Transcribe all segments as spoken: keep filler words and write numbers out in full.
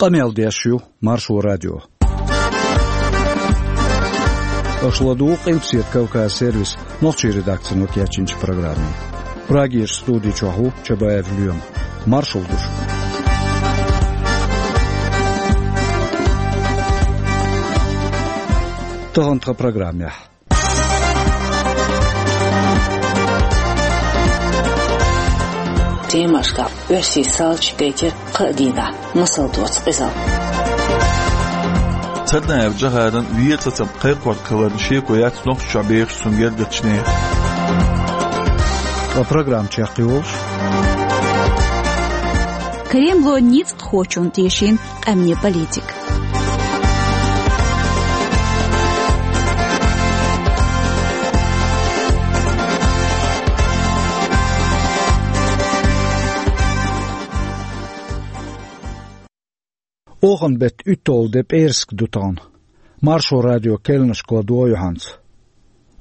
Къамел деш ю Маршо радио. Аша ладугӀу Къилбаседа Кавказ сервисан нохчийн редакцино кечйинчу программе. Прагерчу студи чохь ву Чабаев Лоьма. Маршалла ду шуьга. Тахана тхан программехь. Темашкахь оьрсийн салча гайтира кхаа дийнахь, масал доцу къизалла. Царнаев Джохаран вен сацам кхайкхорг хиларна шеко яц Нохчийчохь бехаш цуьнан гергарчу нехан. Ткъа программа чекхйолуш. Кремло ницкъ кхочунна тешийна къаьмнийн политика. Оханан беттан уьтталгӀа де пӀераска ду тахана. Маршо радион керланашка ладогӀа юьхьанца.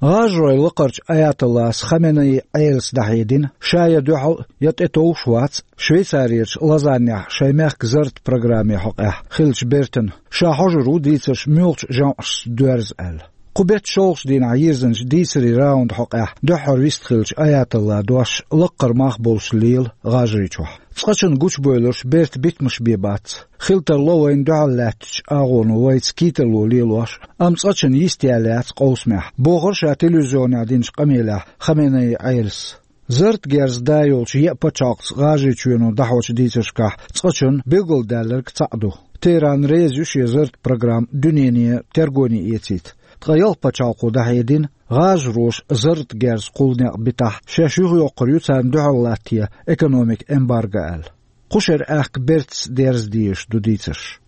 ГӀажаройн лакхарчу аятоллас Хаменеи Ӏелас дӀахьедина, ша я дуьхьал, я тӀетовш вац Швейцарерчу Лозаннехь шайн мехкан зарратан программе хьокъехь хиллачу бертана, ша хьожур ву дийцарш муьлхачу жамӀашца доьрза аьлла. Кху беттан шолгӀачу дийнахь йирзинчу дийцарийн раундан хьокъехь дуьххьара вистхиллачу аятоллан дош лаккхара мах болуш лела ГӀажарийчохь. Цкъачунна гучубевлларш бертан битамаш бен бац. Хила тарло вайна дуьхьал лаьттачу агӀоно вайца кийралла лелош, амма цкъачунна йист яьлла яц къовсамехь, бохура ша телевизионехь динчу къамелехь Хаменеи Ӏелас. Зарратан герз да йолчу еа пачхьалкхца ГӀажарийчоьно дӀахьочу дийцаршкахь цкъачунна билгалдаьлларг цхьаъ ду. Техран реза ю шен зарратан программа дуьнене тергоне эцийта. Ткъа ялх пачхьалкхо дӀахьедина, гӀажароша зарратан герз кхуллу некъ битахь, шаьш юхайоккхур ю царна дуьхьал латта экономикан эмбарго аьлла. Кху шеран аьхка бертаца дерза дезаш ду дийцарш.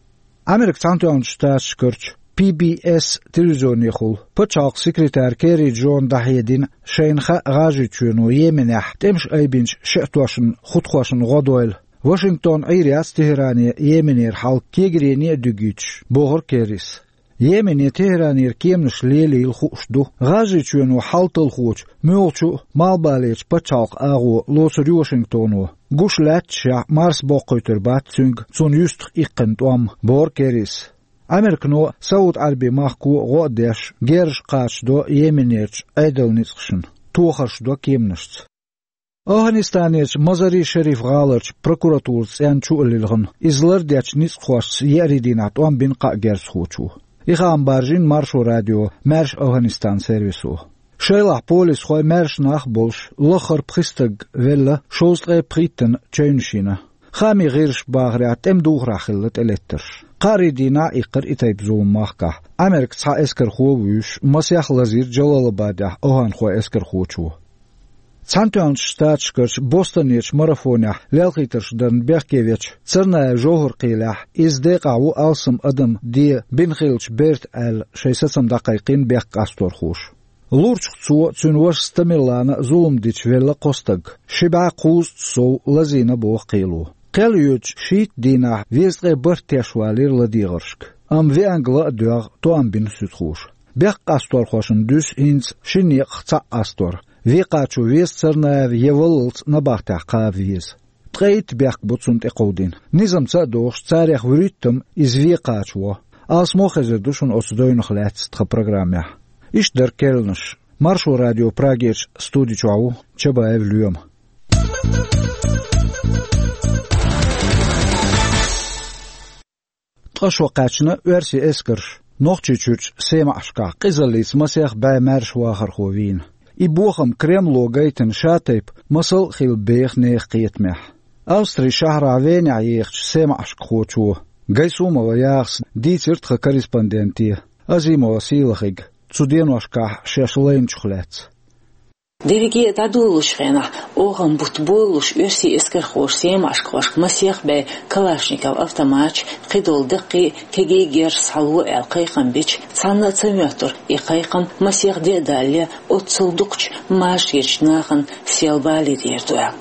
Америкин Цхьаьнатоьхначу Штаташкарчу P B S телевизионехула пачхьалкхан секретара Керри Джона дӀахьедина, шайна хаьа ГӀажарийчоьно Йеменехь тӀемаш айбинчу шиӀатошна, хутахошна гӀо дойла. Вашингтон Ӏийр яц Техране Йеменера хьал кегарене а дуьгуьйтуш, бохура Керрис. Йемене Техранера кеманаш лелийла хууш ду, ГӀажарийчоьно хьал талхочу муьлххачу а малхбалерчу пачхьалкхан агӀо лоцур ю Вашингтоно, гуш лаьтташехь, марса боккхуьйтур бац цуьнга цунна юьстах иккхина тӀом, бохура Керрис. Американо а, Сауд-Ӏаьрбийн махко а гӀо а деш, герзаш кхачадо Йеменерчу Ӏедалан ницкъашна, тохарш до кеманашца. АфгӀанистанерчу Мазари-Шариф гӀаларчу прокуратуран цӀенна чу а лилхина, иза лардечу ницкъахошца еарин дийнахь тӀом бина кхаа герзахочо. И хаам баржийна Маршо радион «Маьрша АфгӀанистан» сервисо. Шайлахь полисхой, маьрша нах а болуш, лаххара пхи стаг велла, шовзткъе пхийттана чевнаш йина. Хаамийн гӀирсаша бахарехь, тӀеман духарехь хилла тӀелеттарш. Кхаарин дийнахь а иккхира и тайпа зулам махкахь, Американ цхьа эскархо а вуьйш, масех лазийра Джалалабадехь афганхойн эскархочо. Цхьаьнатоьхначу Штаташкарчу Бостонерчу марафонехь лелхийтарш дарна бехке вечу Царнаев Жовхьар кхийлехь, иза декъахь ву алсам адам де бина хиллачу берта аьлла, шайн сацам дӀакхайкхийна бехк къасторхоша. Лурчух цо а, цуьнан вашас Тамерлана а зулам дича велла кхо стаг, ши бӀе кхузткъа сов лазийна, боху кхело. Кхел йоьдучу шийтта дийнахь везткъе бархӀ теш валийра ладегӀаршка, амма веанга ла а доьгӀна, тоам бина суьдхоша. Бехк къасторхошна дуьсу хӀинца шина некъах цхьаъ къастор. Вен кхачо веза Царнаев я валлалц набахтехь кхаба веза. Ткъе итт бехк бу цунна тӀекховдийна. Низамца а догӀуш, царех вуьрхӀиттам иза вен кхачаво. Алсамо хезар ду шуна оцу девнах лаьцна тхан программехь. Иштта дара керланаш. Маршо радион Прагерчу студи чохь ву Чабаев Лоьма. Ткъа шо кхаьчна оьрсийн эскарш Нохчийчуьрчу Семашкахь къизаллица масех бӀе маьрша вахархо вийна. И бохам Кремло гайтина ша-тайпа масал а хилла беха нехан кхетамехь. Австрин шахьарахь Венехь ехачу семашкахочо Гайсумова Яхас дийцира тхан корреспонденте Азимова Сийлахига цу деношкахь шаьш лайначух лаьцна. Дерриге а дӀадолалучу хенахь, оханан бутт болалуш, оьрсийн эскархоша семашкахошка масех бӀе калашников автоматаш, кхидолу даккхий а, кегий а герз схьало аьлла кхайкхам бича, цхьанна а ца моьттура и кхайкхам масех де а далале, оццул дукхачу машаречу нахана сел балийта ер ду аьлла.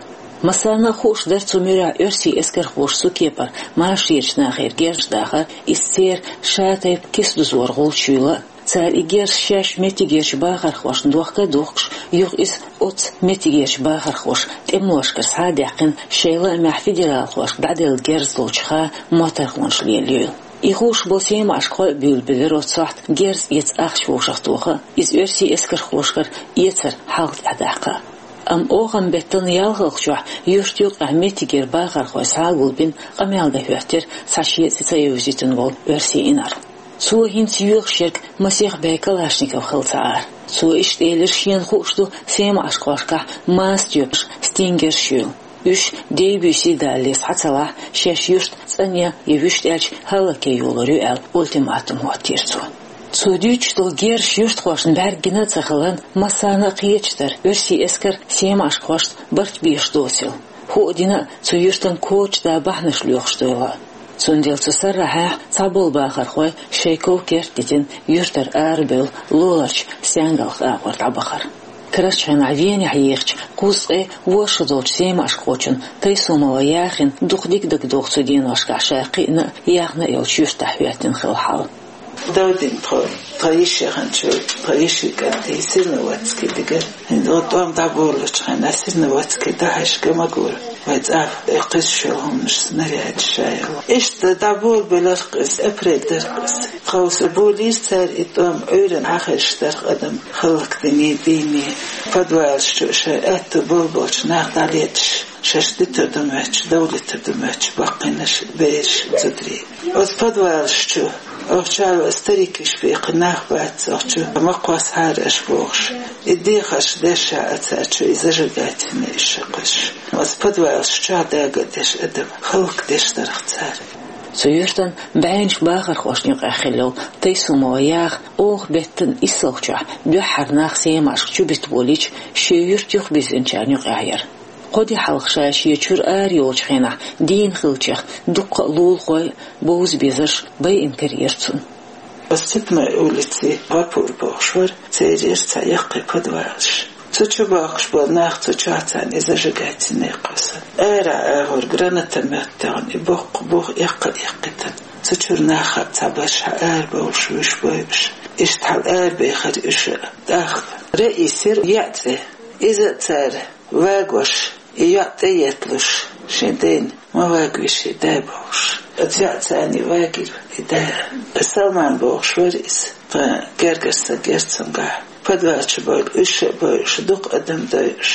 Массарна а хууш дара цу муьрехь оьрсийн эскархоша цу кепара машаречу нахера герз дахар, иза церан ша-тайпа киса дузор гӀулчаш юйла а. Цара и герз шаьш меттигерчу бахархошна дохка а духкуш, юха иза оцу меттигерчу бахархоша тӀемалошкара схьа а даьккхина, шайн лаамехь федералхошка дӀаделла герз долчу хан моттаргӀанаш лелайойла. И хууш болу семашкахой а буьйлабелира оцу сохьта герз эца ахча вовшахтоха а, иза оьрсийн эскархошкара эцар хьалха тӀаьхьадаккха а. Амма оханан беттан ялхалгӀачохь юьртан юккъехь меттигера бахархой схьа а гулбина, къамел дан хӀоьттира цхьа шен цӀе ца евзийтина волу оьрсийн инарла. Цо хӀинца йоьхуш ерг масех бӀе калашников хилла ца Ӏара. Цо иштта элира, шена хууш ду семашкахошкахь маса тоьпаш, стингерш а йолу. Уьш дей-буьйсий далале схьа ца лахь, шаьш юрт цӀанъян я вуьшта аьлча хӀаллакъян йолор ю аьлла, ультиматум хӀоттийра цо. Цо дуьйцуш долу герзаш юьртахошна бӀаьрг гина а ца хиларна, массарна а кхеташ дара, оьрсийн эскар семашкахошна барт беш доцийла. ХӀуъа дина а, цу юьртан коча да бахьанаш лоьхуш дойла. Цундела цу саррахьехь цхьаболу бахархой шайн ков-керт дитина, юьртара арабевлла, лулахь стенгалх агӀор дӀабахара. Карарчу хенахь Венехь ехачу кхузткъе ворхӀ шо долчу семашкахочун Тайсумова Яхина дукха дика дагадогӀу цу деношкахь ша кхиъна а, яьхна а йолчу юьртахь хӀоьттина хилла хьал. Довдина тхо, тхан йиш яханчу, тхан йишин кӀант, Серноводский дигара. ХӀинца тӀом дӀаболалучу хенахь Серноводский дӀахьаьжча ма гура. Вайн цӀа кхуьссуш йолу хӀуманаш, снарядаш ша йолу. Иштта дӀаболабелира-кх иза, апрель дара-кх иза. Тховса болийра цара и тӀом, Ӏуьйранна хьахийша дара-кх адам, хӀаллакдиний, дийний. Подвалаш чу шайн аьтту болабелча нах дӀалеташ, шаьш дитар ду моьттуш, дов литар ду моьттуш баккхийнарш, бераш, зударий. Оцу подвалаш чу, охьа чу а старикаш бехкина нах бац охьа чу, ма кхоссахьара аша бохуш. И дехарш деш а цара чу, и зажигательный иша кхуьссуш. Оцу подвалаш чохь дага а деш адам, хӀаллакдеш дара-кх цара. Цу юьртан бӀеннаш бахархошна юкъахь хилла йолу Тайсумова Яха оха беттан иссалгӀачохь дуьххьара нах семашка чубита болийча, шен юьрта юхабирзинчарна юкъахь яра. Кхо де хьалха ша шен чуьра ара йолчу хенахь дийна хиллачех дуккха а лулахой а, бовза безарш а байина карийра цунна. Оцу Цепной улици Гапур бохуш вара, церан яра цхьа яккхий подвалаш. Цу чу бохкуш болу нах, цу чохь царна и зажигательный кхоссар. Арахь агӀор гранатомёт тӀехь и боккха бух эккха а эккхийтина. Цу чуьра нах а цхьаберш арабевллаш, вуьш бойуш. Иштта хьал арабехира уьш а. ТӀаккха Раисера йоӀ цӀе. Иза а цара вагош, и йоӀ тӀеетталуш, шен дайна ма вагаве шен да бохуш. Оцу йоӀца царний вагийра и да. Салман бохуш вара иза, тхан гергара стаг яра цуьнгахь. Подвал чу бевлла, уьш а бевлла, дукха адам дойуш.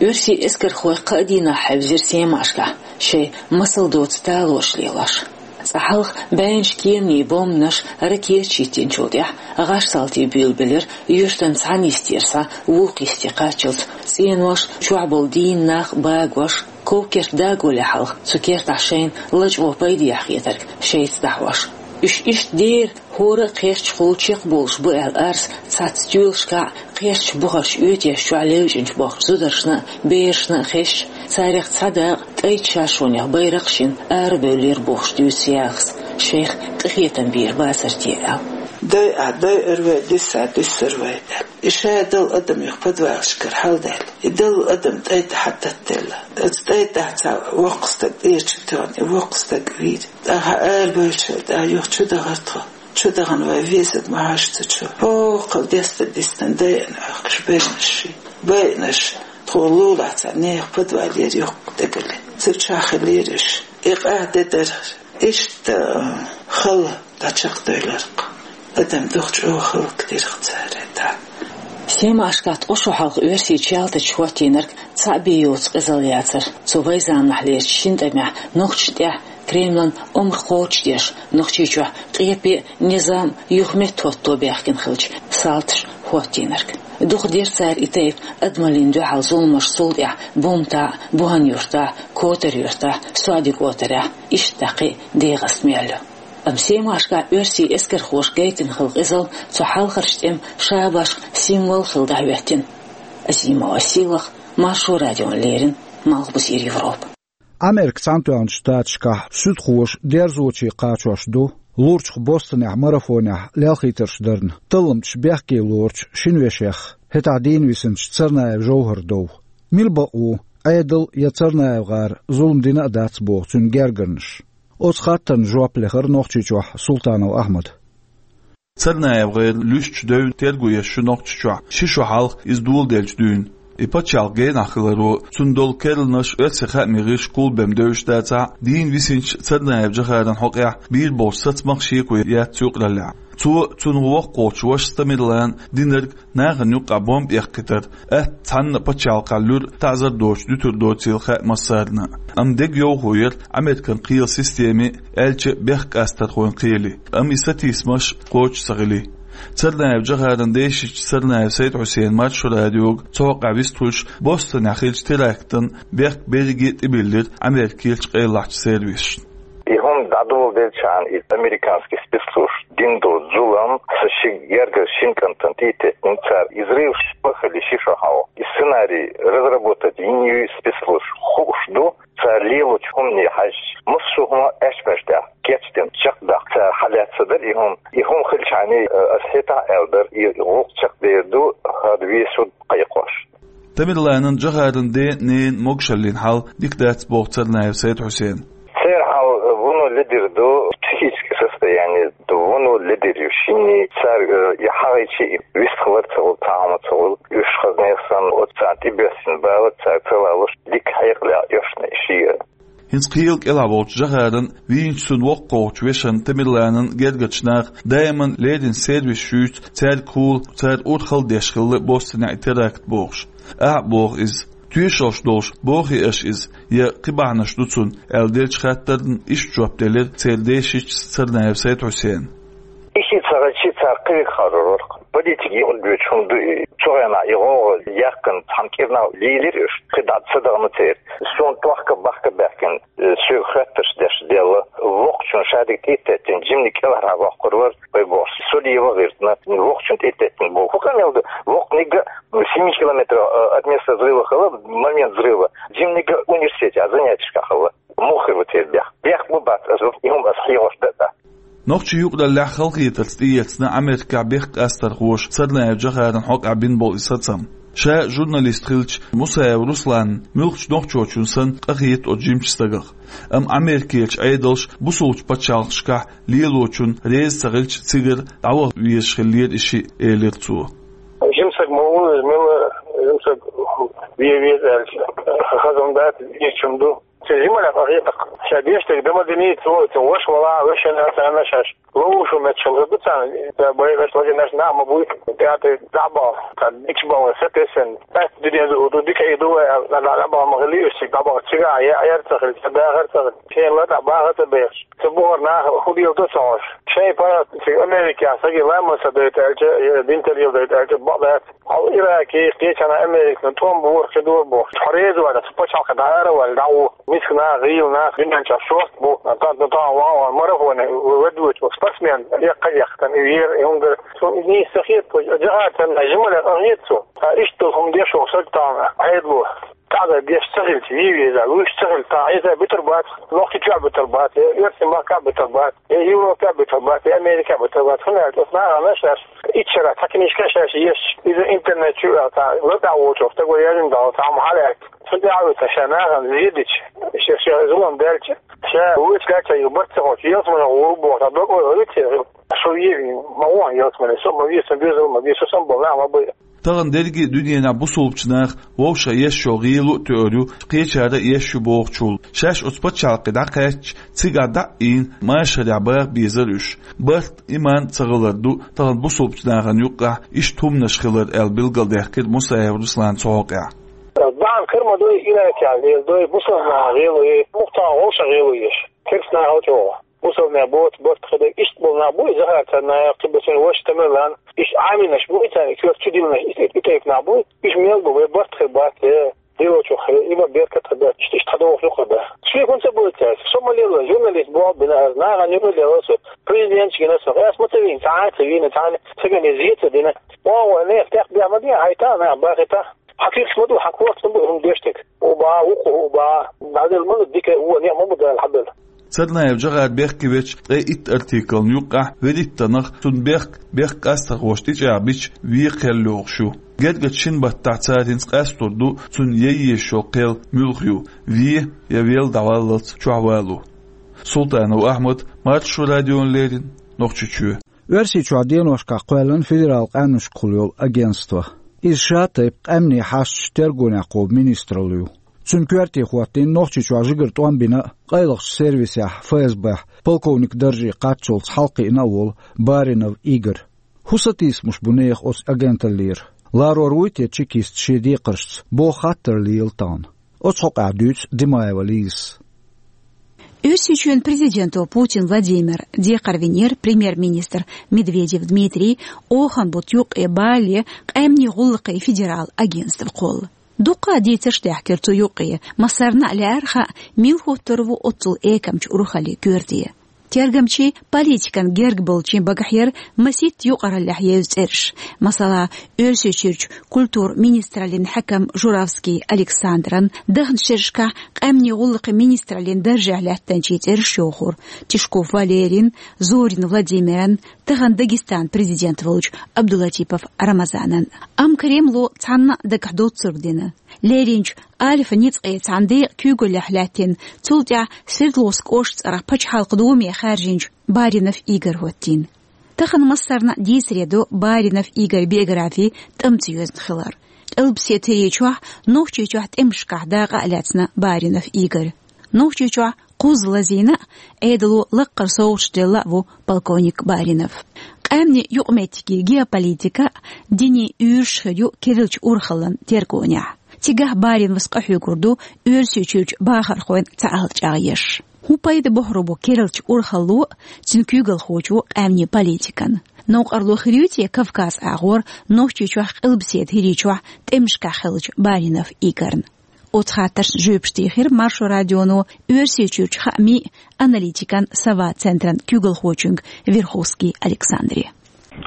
Оьрсийн эскархой кхаа дийнахь хьаьвзира Семашкахь, шайн масал доцу талораш лелош. Цкъа хьалха бӀеннаш кеманийн бомбанаш, ракеташ йиттинчул тӀаьхьа гӀаш-салтий буьйлабелира юьртан цхьана йисте схьа вукху йисте кхаччалц цӀенош, чохь болу дийна нах, багош. Ков-керт дагале хьалха цу кертахь шайна лачкъо пайдехьа хетарг шайца дӀахьош. Уьш иштта дера, хӀора а кхерчахула чекхболуш бу аьлла арса цхьацца тоьлашкахь, кхерчачу бухарчу оьтешна чохь левзачу бохучу зударшна а, берашна а хезча, царех цхьа дакъа ткъе итт шаршонех байракх а шина арабевллера бохуш дуьйцу Яхас, шайх къинхетам бийр бацара те аьлла. Дойа а дойур вай, дуьсса а дуьссур вай аьлла. И ша долу адам юха подвалашкара хьалдаьлла. И долу адам тӀай тӀе хьататтаделла. Оцу тӀай тӀехь цхьа воккха стаг тӀера чу тоьхна, и воккха стаг вийра. ТӀаккха арабевллачул тӀаьхьа юха чу дахара тхо. Чу дахана вай везарг ма хьажа цу чу. ХӀокхул деста дистина дайана Ӏохкуш байнаш ши. Байнаш тхуна лулахь цхьа нехан подвал яра йоккха дегали. Цу чохь хилира уьш. И къа де дара. Иштта хала дӀачекхдевлларг. Адам дукха чӀогӀа хӀаллакдира-кх цара тӀаккха. Семашкахь ткъа шо хьалха оьрсийн чалтачо хӀоттийнарг цхьаъ бен йоцу къизалла яцара. Цу вайн заманахьлерчу шина тӀамехь нохчашна тӀехь Кремлан омра кхочушдеш, Нохчийчохь къепе а, низам а юха меттахӀотто баьхкина хиллачу салташа хӀоттийнарг. Дукха дира цара и тайпа адамаллина дуьхьал зуламаш, цул тӀаьхьа Бумтахь, Бухан-Юьртахь, Котар-Юьртахь, СоьдакӀотарехь, иштта дӀа кхин а ДегӀаста мел ю. Амма Семашкахь оьрсийн эскархоша гайтина хилла къизалла цу хьалхарчу тӀеман шабашкан символ хилла дӀахӀоьттина. Азимова Сийлаха, Маршо радиона леррина, Малхбузера Европа. Америкин Цхьаьнатоьхначу Штаташкахь суьдхоша дерзоче кхачош ду лурчух Бостонехь марафонехь лелхийтарш дарна талламчаш бехке лоручу шина вешех, хӀетахь дийна висинчу Царнаев Жовхар дов. Мила бакъ ву, Ӏедал я Царнаев гӀара зулам дина а дац боху цуьнан гергарнаш? Оцу хаттарна жоп лехара Нохчийчохь Султанов Ахьмада. Царнаев гӀайра луьстачу девнна терго еш ю Нохчийчохь, ши шо хьалха иза доладелчу дуьйна. И пачхьалкх генахь хиларо, цунна долу керланаш оьрсийн хаамийн гӀирсаша кхоллабеш девзаш дацахь а, дийна висинчу Царнаев Джохаран хьокъехь бийр болуш сацамах шеко яц юкъараллехь. Цо, цуьнан воккхачу вашас Тамерлана динарг нахана юккъехь бомба эккхийтар, атта цхьанна а пачхьалкхехь луьра таӀзар доцуш дуьтур доцийла хаьа массарна. Амма дегайовхо яра Американ кхелан системин, аьлча а бехк къастархойн кхелин. Амма и сатийсамаш кхочуш ца хили. Царнаев Джохаран дешича Царнаев Сайд-Хьусена Маршо радиога цу хьокъехь вистхуьлуш, Бостонехь хиллачу терактан бехк берриге а тӀебиллира Америкерчу къайлахчу сервисашна. И хӀума дӀадоладелчахьана, и американский спецслужбаш дина долу зулам, сан ши гергара шина кӀантана тӀе а теттина цара, и взрыв ма хилла ши шо хьалха. И сценарий разработать йина ю спецслужбаша, хууш ду, цара лелочу хӀумане хьаьжча, массо а хӀума аьшпаш тӀехь кечдина, чекхдаккха цара хьалаьцна дара и хӀума. И хӀума хилчахьана, э, ас хӀетахь а аьлла дара, и гӀуллакх чекхдер ду, хӀара весо кхайкхош. Тамерланан, Джохаран ден а, ненан могушаллин хьал дика дац, боху Царнаев Сайд-Хьусена. Церан хьал, э, вуно ледара ду, психическое состояние ду, вуно ледара ю шинна, цара, э, и хьагӀийча, и вистхилар ца хуьлу, цхьа хӀума ца хуьлу, уьш хазанех санна, оцу царна тӀебоьссина бала цара ца лалуш, дика хьекъале оьшна и шиъ. ХӀинца кхелан кӀелахь волчу Джохаран, вийначу цуьнан воккхачу вешан Тамерланан гергарчу наха даиман леррина сервисаш юьйцу, цаьрга хуула, цара урхалла деш хилла Бостонехь и теракт бохуш. Ахьа а боху иза. Тоьшаллаш долуш бохий аша иза, я кхин бахьанаш ду цунна, аьлла деллачу хаттарна иштта жоп делира церан дешича Царнаев Сайд-Хьусена. И шиъ ца хилча, цара кхин векхар вара. Политика юкъадоьдуш хӀума ду и. Цу хенахь и гӀовгӀа яьккхина цхьана кӀирнах лийлира уьш, кхин дӀа ца дахана церан. Суна тохка-бахка баьхкина, э, соьга хоьттарш деш делла. Воккхачунна шадерг тӀе а теттина, жиманиг кӀелхьара воккхур вара, вай бохуш. Со лева гӀиртина, воккхачунна тӀе а теттина боху. ХӀун къамел ду? Воккханиг а семь километров, э, от места взрыва хилла, момент взрыва. Жиманиг а университетехь занятешкахь хилла. Муха хир ву церан бехк? Бехк ма бац аса, и хӀума аса хьехош дан а. Нохчийн юкъараллехь халахетарца тӀеэцна Америкехь бехк къастархоша Царнаев Джохаран хьокъехь бина болу и сацам. Ша журналист хилча, Мусаев Русланна муьлххачу нохчочунна санна къахета оцу жимачу стагах. Амма Америкерчу Ӏедалша бусулбачу пачхьалкхашкахь лелочунна реза ца хилча, цигара дӀаваха везаш хиллера и шиъ, элира цо. Жима стаг ма ву иза, мила жима стаг вен веза аьлча, хаза ма дац, везачунна ду. Церан жималлех къахета, ша деш дерг дан ма динийта, цо, цо ваша вала, вешина царна шаьш ловушо метташ хила ду царна, цара байраш, лагернаш нах ма буй, театре дӀа а бахна, цара дикачу балхана сатесна, атта дуьнен ду, ду дика и ду вай, дӀа, дӀа, дӀа а бахна ма хилий уьш, цига дӀа а бахна, цига а я, яр ца хилча, дахар ца хилча, шена ла дӀа баха ца бехаш. Цу бухара наха хӀун леладо ца хууш. Шайн паргӀат цига Америкехь саги ламаз ца дайта аьлча, я дин тӀе леладайта аьлча, бакъ дац. Хьо Ираке, кхечанхьа Американа тӀом бора, кхин дора бохуш. Хьо реза вац, цу пачхьалкхе дӀа ара ваьлла, дӀа а ву. Миска нах, гӀийла нах, дуьнен чохь шорта бу. Тан, тан, тан, ван, ван, марафоне ведучи, спортсмен, эккха, эккха, тан, и вера, и хӀума дара. Цунна и нийса ца хета, Джохар санна, жималлех къахета цо. Ткъа иштта долу хӀума деш волу стаг тахана Ӏедало. ТаӀзар деш ца хилча, вий веза, вуьйш ца хилча, тахана иза битар бац, Нохчийчохь битар бац, я Оьрсийн махкахь битар бац, я Европехь битар бац, я Америкехь битар бац. ХӀунда аьлча оцу нахана шаьш итт шарахь цхьа книжка шаьш еш, иза интернет чу а, цхьа лата а волчух стага яздина дала, цхьа хӀума хьалаьцна. Цуьнан тӀаьхьа вуьйцу ша нахана зен дича, ша, ша зулам даьлча, ша вуьйцу ша, барт ца хоьттуш, ялсамане гӀур бу бохуш, дог ойла хилийта. Со вен, ма вон ялсамане, со ма вен, сан доьзал ма вен, со санна болу нах ма бай. Тахана дерриге а дуьненахь бусулбачу наха вовшах еш йолу гӀело а тоьар ю, кхечара а еш ю бохучул. Шаьш оцу пачхьалкхе дӀакхаьчча, цигахь дӀа а ийна, машарехь баха безара уьш. Барт, иман ца хилар ду тахана бусулбачу нахана юккъехь иштта хӀуманаш хилар, аьлла билгалдаьккхира Мусаев Руслана цу хьокъехь. Бахьана кара ма дуй, Иракехь леладой, бусулба наха гӀело еш, мухтан вовшах гӀело еш. Керста наха чӀогӀа. Бусалбанех боцу барт хир дерг иштта болу нах буй, Захар Царнаев, кхин бу цуьнан ваша Тамерлан, иштта Ӏамийнаш буй, царна и коьрта чу диллинарш, и, и, и тайпа нах буй, уьш мел бу, вай барт хир бац, э, дилочух хир, и ма беркат хир бац, иштта, иштта хьадогӀуш ду хир бац. Шеко хӀунда ца бойта цаьрца? Со ма лелла, журналист бу бина аса, нахана юкъа лелла со, президенташ гина со, ас ма ца вийна, цхьа а ца вийна, цхьа а ца гина, зе ца дина. О, о, нехан тӀехбехк ма де, хьайта, нах бахийта. Хьан куьйгаш ма ду, хьан корта ма бу хӀума деш дерг. ХӀун бу, вукхо хӀун бу, дӀадала ма ду дика, вон некъ ма бу Дала хьабелла. Царнаев Джохар бехке веча ткъе итт артиклна юккъехь вуьрхӀиттанах цуьнан бехк, бехк къастархоша тӀечӀагӀбича, вен кхел йогӀуш ю. Гергарчу шина баттахь цара хӀинца къастор ду цунна яйъеш йолу кхел муьлха ю, вен я велла дӀаваллалц чохь вало. Султанов Ахьмад, Маршо радиона леррина, Нохчийчоь. Оьрсийчохь деношкахь кхоьллина федерал къаьмнашкахула йолу агентство. Иза ша тайпа къаьмнийн хьашташ тергонехь кхобу министралла ю. Цуьнан коьрте хӀоттийна Нохчийчохь жигара тӀом бина а, къайлахчу сервисехь, ФСБ-хь, полковник дарже кхаччалц хьалакхиъна а волу Баринов Игорь. ХӀун сатийсамаш бу нехан оцу агенталлера? Ларор вуй те чекист шен декхаршца, боху хаттар лела тахана. Оцу хьокъехь дуьйцу Димаева Лизас. Оьрсийчоьнан президенто Путин Владимира декхар винера премьер-министр Медведев Дмитрий оханан бутт юккъе балале къаьмнийн гӀуллакхийн федерал агентство кхолла. Дуккха а дийцарш даьхкира цу юккъе, массарна а лаьара хаьа, мила хӀуттур ву оццул экамчу урхаллин коьрте. Тергамчийн, политикан герга болчийн багахь яра масийтта юкъараллехь еза цӀераш. Масала, Оьрсийчуьрчу культуран министраллин хьаькам Журавский Александран, дахначу шерашкахь къаьмнийн гӀуллакхийн министраллин даржехь лаьттинчийн цӀераш йохура: Тишков Валерин, Зорин Владимиран, тахана Дагестанан президент волчу Абдулатипов Рамазанан. Амма Кремло цхьанна а дагахь доцург дина. Леринчу Альфа ницкъийн цхьана декъан куьйгаллехь лаьттина, цул тӀаьхьа Свердловск кӀоштан цӀарах пачхьалкхан думе хаьржинчу Баринов Игорь хӀоттийна. Тахана массарна а дийцаре ду Баринов Игорь биографи тӀамца йоьзна хилар. Къилбаседа хӀирийчохь Нохчийчохь тӀемашкахь дакъа а лаьцна Баринов Игорь. Нохчийчохь кхузза лазийна а, Ӏедало лаккхара совгӀаташ делла а ву полковник Баринов. Къаьмнийн юкъаметтигийн геополитика а, динийн уьйраш а хир ю керлачу урхаллин тергонехь. Цигахь Бариновс къахьоьгур ду Оьрсийчуьрчу бахархойн цхьаалла чӀагӀъеш. ХӀун пайда бохур бу керлачу урхалло а, цуьнан куьйгалхочо а къаьмнийн политикан? Новкъарло хир ю те Кавказ агӀор Нохчийчохь къилбаседа хӀирийчохь тӀемашкахь хиллачу Баринов Игорьна? Оцу хаттаршна жоьпаш тийхира Маршо радионо Оьрсийчуьрчу хаамийн а, аналитикан а «Сова» центран куьйгалхочуьнга Верховский Александре.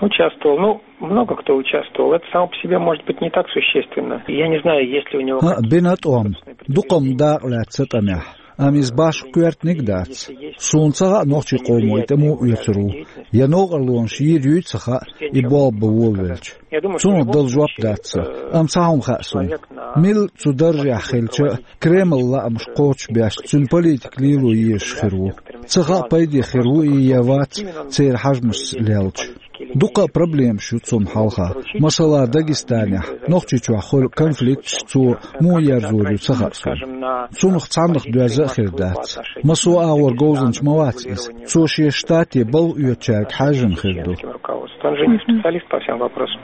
Участвовал. Ну, много кто участвовал. Это само по себе может быть не так существенно. Я не знаю, есть ли у него... ХӀаъ, бина тӀом. Дукха-м дакъа лаьцна тӀамехь. Амма иза башха коьртаниг а дац. Суна ца хаьа нохчийн къоман тӀамо оьцур ву, я новкъарлонаш йийр юй а ца хаьа, и болх бан волавелча. Цунах дала жоп дац сан, амма цхьа хӀума хаьа суна. Милла цу даржехь хилча а, Кремлан лаамаш кхочушбеш, цуьнан политика лело езаш хир ву. Ца хаьа, пайде хир ву и я вац церан хьежамашца лелча. Дуккха а проблемаш ю цунна хьалха. Масала, Дагестанехь, Нохчийчохь хуьлу конфликташ цо муха ерзор ю ца хаьа суна. Цунах цхьаннах доьзна а хир дац. Массо а агӀор говзанча ма вац иза. Цо шен штате балха оьцучаьрга хьаьжжина хир ду. Он же не специалист по всем вопросам.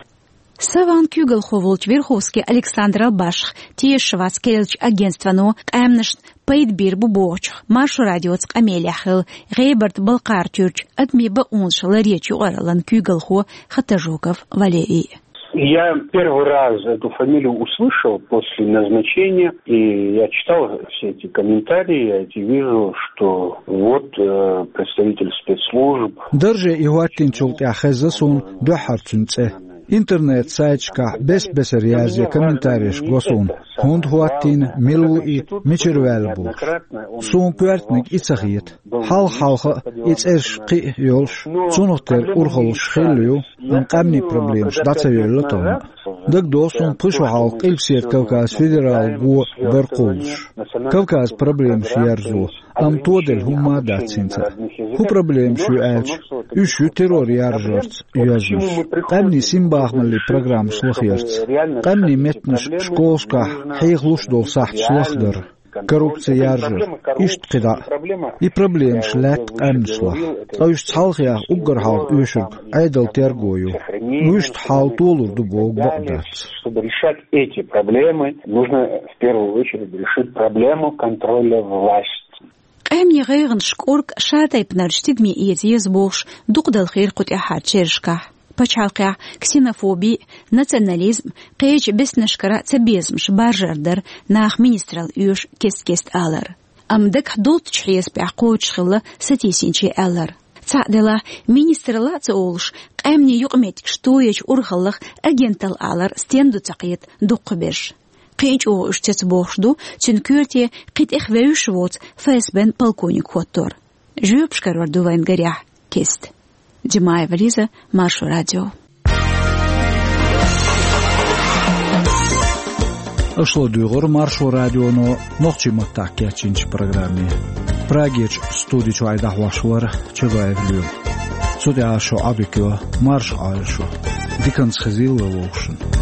«Сован» куьйгалхо волчу Верховский Александрал башха тешаш вац керлачу агентствано къаьмнашна пайда бийр бу бохучух Маршо радиоца къамелехь хилла ГӀебарта-Балкхара-Туьрчу адамийн бакъонаш ларъечу юкъараллан куьйгалхо Хатажоков Валерий. Я первый раз эту фамилию услышал после назначения, и я читал все эти комментарии, я эти вижу, что вот, э, представитель спецслужб. Дарже и хӀоттийначул тӀаьхьа хезна суна дуьххьара цуьнан цӀе. Интернет-сайташкахь бес-бесара язъе комментареш го суна, хӀунда хӀоттийна, мила ву и, мичара ваьлла бохуш. Суна коьртаниг и ца хета. Хьалха-хьалха а и цӀераш кхин а йолуш, цунах тера урхаллаш хилла ю, амма къаьмнийн проблемаш дӀа ца йоьллу тахана. ДагадогӀу суна, пхи шо хьалха Къилбаседа Кавказ федералан го дара кхуллуш. Кавказан проблемаш ерзо, амма тоделла хӀумма а дац хӀинца а. ХӀун проблемаш ю аьлча, уьш ю террор яржарца йоьзнаш, къаьмнийн синбахамаллин программаш лахарца, къаьмнийн меттанаш школашкахь хьехалуш долу сахьташ лахдар, коррупци яржар, иштта кхидӀа а. И проблемаш лаьтта къаьмнашлахь, ткъа уьш цхьалха яха уггар хьалха оьшург Ӏедалан терго ю. Вуьшта хьал толур ду боху бакъ дац. Чтобы решать эти проблемы, нужно в первую очередь решить проблему контроля власти. Къаьмнийн гӀайгӀанаш кӀорга шатайпанарчу тидаме эца еза бохуш, дукха далхийра кху тӀаьххьарчу шерашкахь. Пачхьалкхехь ксенофоби, национализм, кхечу беснашкара цабезамаш баржар дара нах министралла оьшу кест-кеста алар. Амма дагахь долчу хьесапехь кхочушхилла сатийсинчийн аьллар. Цхьаъ делахь, министралла а ца олуш, къаьмнийн юкъаметтигаш тоечу урхаллах агенталла алар стенна ду ца кхета дукхахберш. Кхин а чӀогӀа уьш цецбохуш ду, цуьнан коьрте кхин тӀех вевзаш воцу ФСБ-н полковник хӀоттор. Жоьпаш карор ду вайн, гарехь, кеста. Димаева Лиза, Маршо радио. Аша ладуьйгӀура Маршо радионо нохчийн маттахь кечйинчу программе. Прагерчу студи чуьра дӀахьош вара Чабаев Лоьма. Цу тӀехьа шо Ӏобиккхийла, марша Ӏойла шо. Диканца хезийла вай вовшашца.